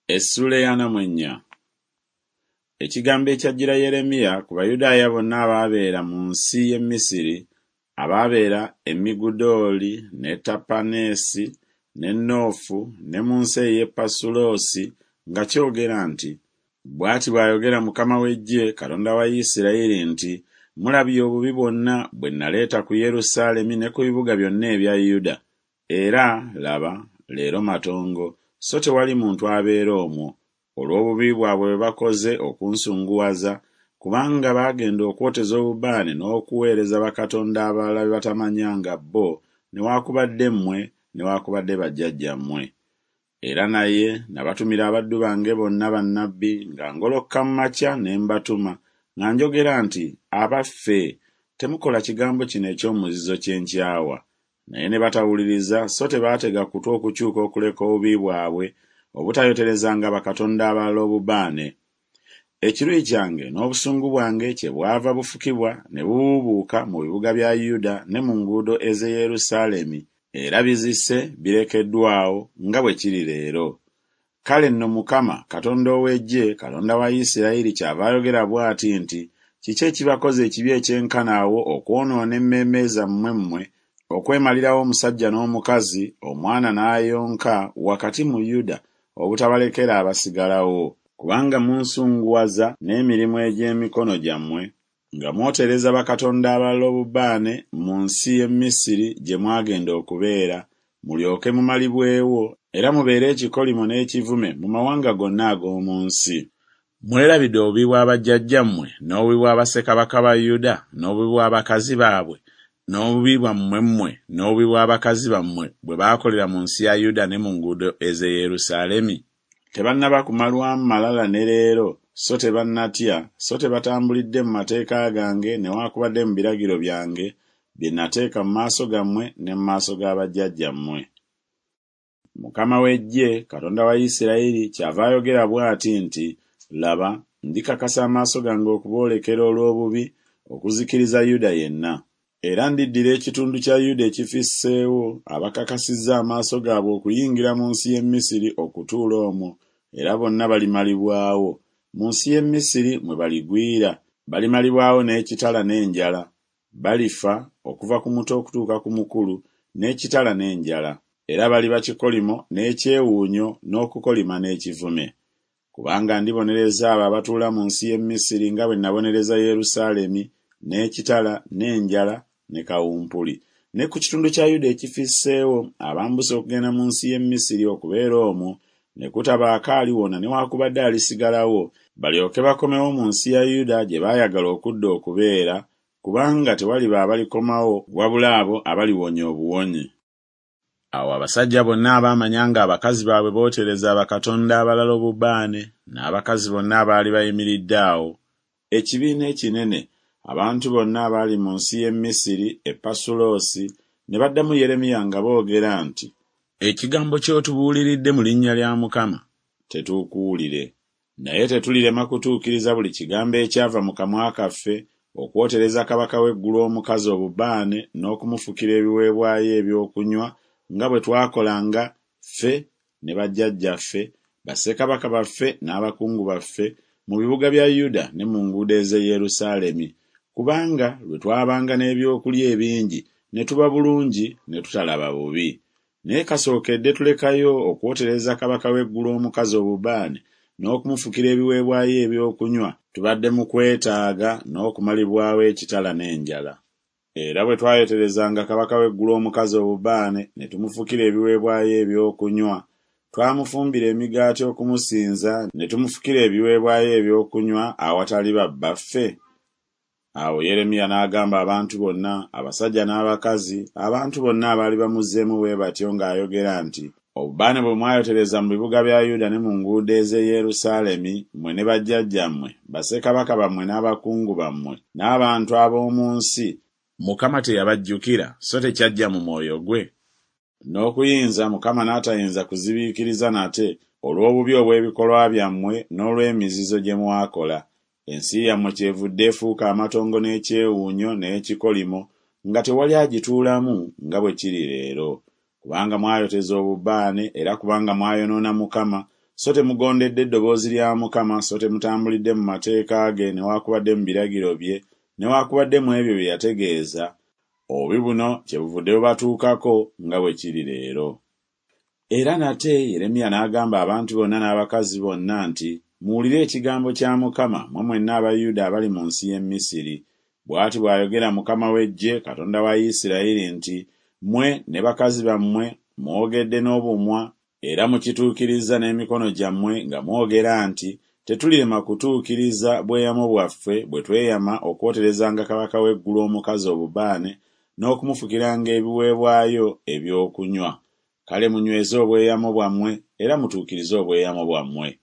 Essuula ey'ana mu ennya. Ekigambo ekyajjira Yeremiya ku Bayudaaya bonna abaabeera mu nsi y'e Misiri, abaabeera e Migudooli ne Tapaneesi ne Noofu ne mu nsi ey'e Pasuloosi nga kyogera nti, Bw'ati bw'ayogera Mukama w'eggye, Katonda wa Isirayiri nti, Mulabye obubi bwonna bwe naleeta ku Yerusaalemi ne ku bibuga byonna ebya Yuda, era, laba, leero matongo, so tewali muntu abeera omwo, olw'obubi bwabwe bwe bakoze okunsunguwaza, kubanga baagenda okwoteza obubaane n'okuweereza bakatonda abalala be batamanyanga bo newakubadde mmwe newakubadde bajjajjammwe. Era naye nabatumira abaddu bange bonna bannabbi nga ngolokoka mu makya ne mbatuma, nga njogera nti Abaffe, temukola kigambo kino eky'omuzizo kye nkyawa. Naye ne batawuliriza so tebaatega kutu okukyuka okuleka obubi bwabwe, obutayoterezanga bakatonda abalala obubaane. Ekiruyi kyange n'obusungu bwange kyebwava bufukibwa ne bubuubuuka mu bibuga bya Yuda ne mu nguudo ez'e Yerusaalemi, era bizise birekeddwa awo, nga bwe kiri leero. Kale nno Mukama, Katonda ow'eggye, Katonda wa Isirayiri kyava ayogera bw'ati nti Kiki ekibakoza ekibi ekyenkana awo okwonoona emmeeme zammwe mmwe, okwemalirawo omusajja n'omukazi, omwana n'ayonka, wakati mu Yuda, obutabalekera abasigalawo? Kubanga munsunguwaza n'emirimu egy'emikono gyammwe, nga mwotereza bakatonda abalala obubaane mu nsi y'e Misiri gye mwagenda okubeera, mulyoke mumalibwewo, era mubeere ekikolimo n'ekivume mu mawanga gonna ag'omu nsi. Mwerabidde obubi bwa bajjajjammwe, n'obubi bwa bassekabaka ba Yuda, n'obubi bw'abakazi baabwe, n'obubi bwammwe mmwe, n'obubi bw'abakazi bammwe bwe baakolera mu nsi ya Yuda ne mu nguudo ez'e Yerusaalemi? Tebannaba kumalwamu malala ne leero, so tebannatya, so tebatambulidde mu mateeka gange newakubadde mu biragiro byange, bye nateeka mu maaso gammwe ne mu maaso ga bajjajjammwe. Mukama w'eggye, Katonda wa Isirayiri, kyava ayogera bw'ati nti Laba, ndikakasa amaaso gange okuboolekera olw'obubi, okuzikiriza Yuda yenna. Era ndiddira ekitundu kya Yuda ekifisseewo, abakakasizza amaaso gaabwe okuyingira mu nsi y'e Misiri okutuula omwo, era bonna balimalibwawo, mu nsi y'e Misiri mwe baligwira, balimalibwawo n'ekitala n'enjala, balifa, okuva ku muto okutuuka ku mukulu, n'ekitala n'enjala, era baliba kikolimo n'ekyewuunyo n'okukolima n'ekivume. Kubanga ndibonereza abo abatuula mu nsi y'e Misiri nga bwe nabonereza Yerusaalemi n'ekitala n'enjala ne kawumpuli, ne ku kitundu kya Yuda ekifisseewo abambuse okugenda mu nsi y'e Misiri okubeera omwo, ne kutabaako aliwona newakubadde alisigalawo, balyoke bakomewo mu nsi ya Yuda gye baayagala okudda okubeera, kubanga tewaliba abalikomawo wabula abo abaliwonya obuwonyi. Awo abasajja bonna abaamanya ng'abakazi baabwe bootereza bakatonda abalala obubaane, n'abakazi bonna abaali bayimiridde awo, ekibiina ekinene, abantu bonna abaali mu nsi y'e Misiri e Pasuloosi, ne baddamu Yeremiya nga boogera nti. Ekigambo ky'otubuuliridde mu linnya lya Mukama tetuukuwulire. Naye tetulirema kutuukiriza buli kigambo ekyava mu kamwa kaffe, okwotereza kabaka w'eggulu omukazi obubaane n'okumufukira ebiweebwayo eby'okunywa, nga bwe twakolanga, ffe, ne bajjajjaffe, bassekabaka baffe n'abakungu baffe, mu bibuga bya Yuda ne mu nguudo ez'e Yerusaalemi, kubanga lwe twabanga n'ebyokulya ebingi ne tuba bulungi ne tutalaba bubi. Naye kasookedde tulekayo okwotereza kabaka w'eggulu omukazi obubaane n'okumufukira ebiweebwayo eby'okunywa, tubadde mu kwetaaga n'okumalibwawo ekitala n'enjala. Era bwe twayoterezanga kabaka w'eggulu omukazi obubaane ne tumufukira ebiweebwayo eby'okunywa, twamufumbira emigaati okumusinza ne tumufukira ebiweebwayo eby'okunywa awatali babbaffe? Awo Yeremiya n'agamba abantu bonna, abasajja n'abakazi, abantu bonna abaali bamuzzeemu bwe batyo ng'ayogera nti, Obubaane bwe mwayotereza mu bibuga bya Yuda ne mu nguudo ez'e Yerusaalemi, mmwe ne bajjajjammwe, bassekabaka bammwe n'abakungu bammwe, n'abantu ab'omu nsi, Mukama teyabajjukira, so tekyajja mu mwoyo gwe? N'okuyinza Mukama n'atayinza kuzibiikiriza nate olw'obubi obw'ebikolwa byammwe n'olw'emizizo gye mwakola, ensi yammwe kyevudde efuuka amatongo n'ekyewuunyo n'ekikolimo, nga tewali agituulamu, nga bwe kiri leero. Kubanga mwayoteza obubaane era kubanga mwayonoona Mukama, So temugondedde ddoboozi lya Mukama, so temutambulidde mu mateeka ge newakubadde mu biragiro bye, newakubadde mu ebyo bye yategeeza, obubi buno kyebuvudde bubatuukako nga bwe kiri leero. Era nate Yeremiya n'agamba abantu bonna n'abakazi bonna nti Muwulire ekigambo kya Mukama, mmwe mwenna aba Yuda abali mu nsi y'e Misiri. Bw'ati bw'ayogera Mukama w'eggye, Katonda wa Isirayiri nti Mmwe ne bakazi bammwe mwogedde n'obumwa era mukituukirizza n'emikono gyammwe nga mwogera nti Tetulirema kutuukiriza bweyamo bwaffe bwe tweyama okwoterezanga kabaka w'eggulu omukazi obubaane n'okumufukiranga ebiweebwayo eby'okunywa. Kale munyweze obweyamo bwammwe era mutuukirize obweyamo bwammwe.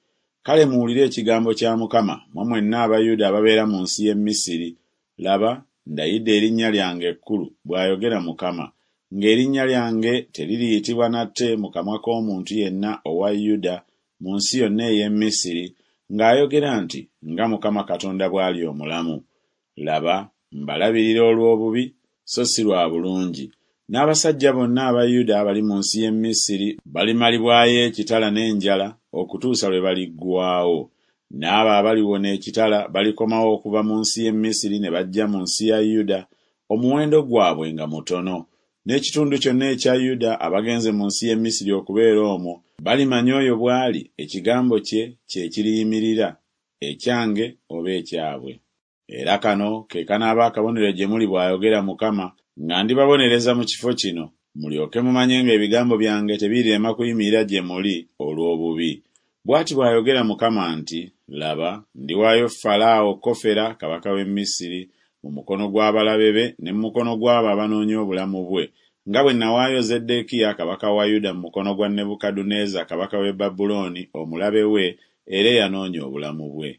Kale muwulire ekigambo kya Mukama, mmwe mwenna aba Yuda ababeera mu nsi y'e Misiri, Laba, ndayidde erinnya lyange ekkulu, bw'ayogera Mukama, ng'erinnya lyange teririyitibwa nate mu kamwa k'omuntu yenna owa Yuda mu nsi yonna ey'e Misiri, ng'ayogera nti Nga Mukama Katonda bw'ali omulamu. Laba, mbalabirira olw'obubi, so si lwa bulungi, n'abasajja bonna aba Yuda abali mu nsi y'e Misiri balimalibwayo ekitala n'enjala okutuusa lwe baliggwaawo. N'abo abaliwona ekitala balikomawo okuva mu nsi y'e Misiri ne bajja mu nsi ya Yuda, omuwendo gwabwe nga mutono. N'ekitundu kyonna ekya Yuda abagenze mu nsi y'e Misiri okubeera omwo balimanya oyo bw'ali ekigambo kye kye kiriyimirira, ekyange oba ekyabwe. Era kano ke kanaaba akabonero gye muli bw'ayogera Mukama, nga ndibabonereza mu kifo kino, mulyoke mumanye ng'ebigambo byange tebirirema kuyimirira gye muli olw'obubi. Bw'ati bw'ayogera Mukama nti Laba, ndiwaayo Falaawo Kofera kabaka w'e Misiri mu mukono gw'abalabe be ne mu mukono gw'abo abanoonya obulamu bwe, nga bwe nawaayo Zeddeekiya kabaka wa Yuda mu mukono gwa Nebukadduneeza kabaka w'e Babulooni omulabe we era eyanoonya obulamu bwe.